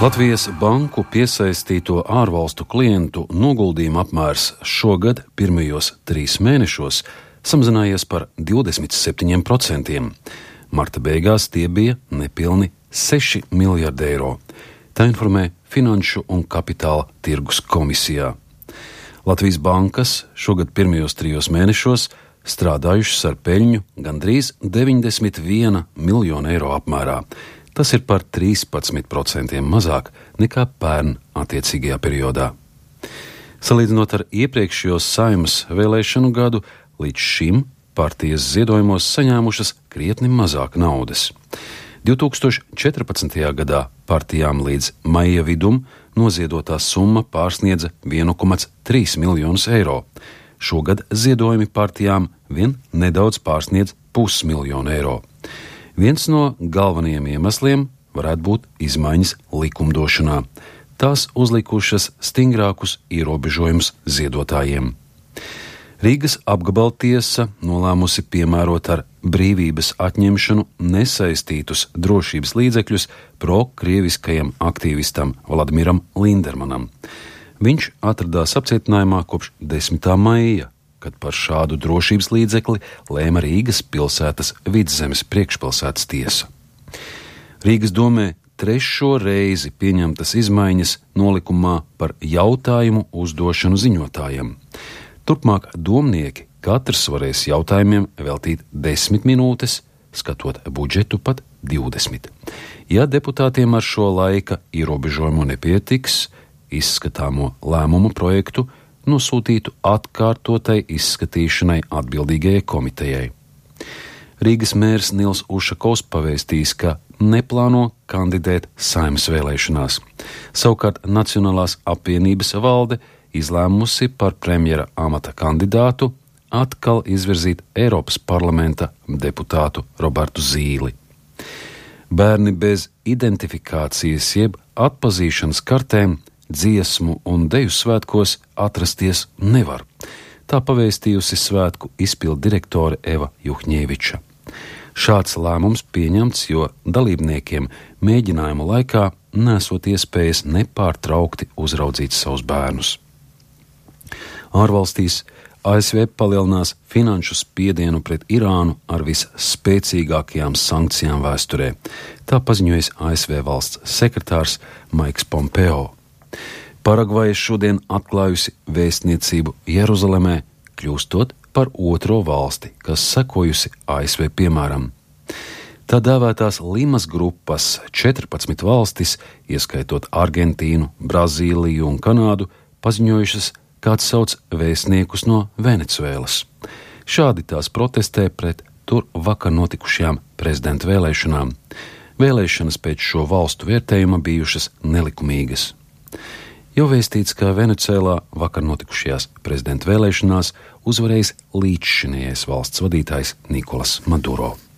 Latvijas banku piesaistīto ārvalstu klientu noguldījumu apmērs šogad pirmajos 3 mēnešos samazinājies par 27%. Marta beigās tie bija nepilni 6 miljardi eiro. Tā informē Finanšu un kapitāla tirgus komisijā. Latvijas bankas šogad pirmajos 3 mēnešos strādājušas ar peļņu gandrīz 91 miljonu eiro apmērā. Tas ir par 13% mazāk nekā pērn attiecīgajā periodā. Salīdzinot ar iepriekšējos Saeimas vēlēšanu gadu, līdz šim partijas ziedojumos saņēmušas krietni mazāk naudas. 2014. gadā partijām līdz maija vidum noziedotā summa pārsniedza 1,3 miljonus eiro. Šogad ziedojumi partijām vien nedaudz pārsniedz 500 miljonu eiro. Viens no galvenajiem iemesliem varētu būt izmaiņas likumdošanā. Tās uzlikušas stingrākus ierobežojumus ziedotājiem. Rīgas apgabaltiesa nolēmusi piemērot ar brīvības atņemšanu nesaistītus drošības līdzekļus pro-krieviskajam aktīvistam Vladimiram Lindermanam. Viņš atradās apcietinājumā kopš 10. maija, kad par šādu drošības līdzekli lēma Rīgas pilsētas Vidzemes priekšpilsētas tiesa. Rīgas domē 3. reizi pieņemtas izmaiņas nolikumā par jautājumu uzdošanu ziņotājiem. Turpmāk domnieki katrs varēs jautājumiem veltīt 10 minūtes, skatot budžetu pat 20. Ja deputātiem ar šo laika ierobežojumu nepietiks, izskatāmo lēmumu projektu nosūtītu atkārtotai izskatīšanai atbildīgajai komitejai. Rīgas mērs Nils Ušakovs pavēstījis, ka neplāno kandidēt Saeimas vēlēšanās. Savukārt Nacionālās apvienības valde izlēmusi par premjera amata kandidātu atkal izvirzīt Eiropas parlamenta deputātu Robertu Zīli. Bērni bez identifikācijas jeb atpazīšanas kartēm dziesmu un deju svētkos atrasties nevar. Tā pavēstījusi svētku izpildu direktore Eva Juhņēviča. Šāds lēmums pieņemts, jo dalībniekiem mēģinājumu laikā nesot iespējas nepārtraukti uzraudzīt savus bērnus. Ārvalstīs ASV palielinās finanšu spiedienu pret Irānu ar visspēcīgākajām sankcijām vēsturē. Tā paziņojis ASV valsts sekretārs Maiks Pompeo. Paragvaja šodien atklājusi vēstniecību Jeruzalemē, kļūstot par 2. valsti, kas sekojusi ASV piemēram. Tā dēvētās Limas grupas 14 valstis, ieskaitot Argentīnu, Brazīliju un Kanādu, paziņojušas, kāds sauc vēstniekus no Venecuēlas. Šādi tās protestē pret tur vakar notikušajām prezidenta vēlēšanām. Vēlēšanas pēc šo valstu vērtējuma bijušas nelikumīgas. Jau vēstīts, ka Venecuēlā vakar notikušajās prezidenta vēlēšanās uzvarējis līdzšinējais valsts vadītājs Nikolas Maduro.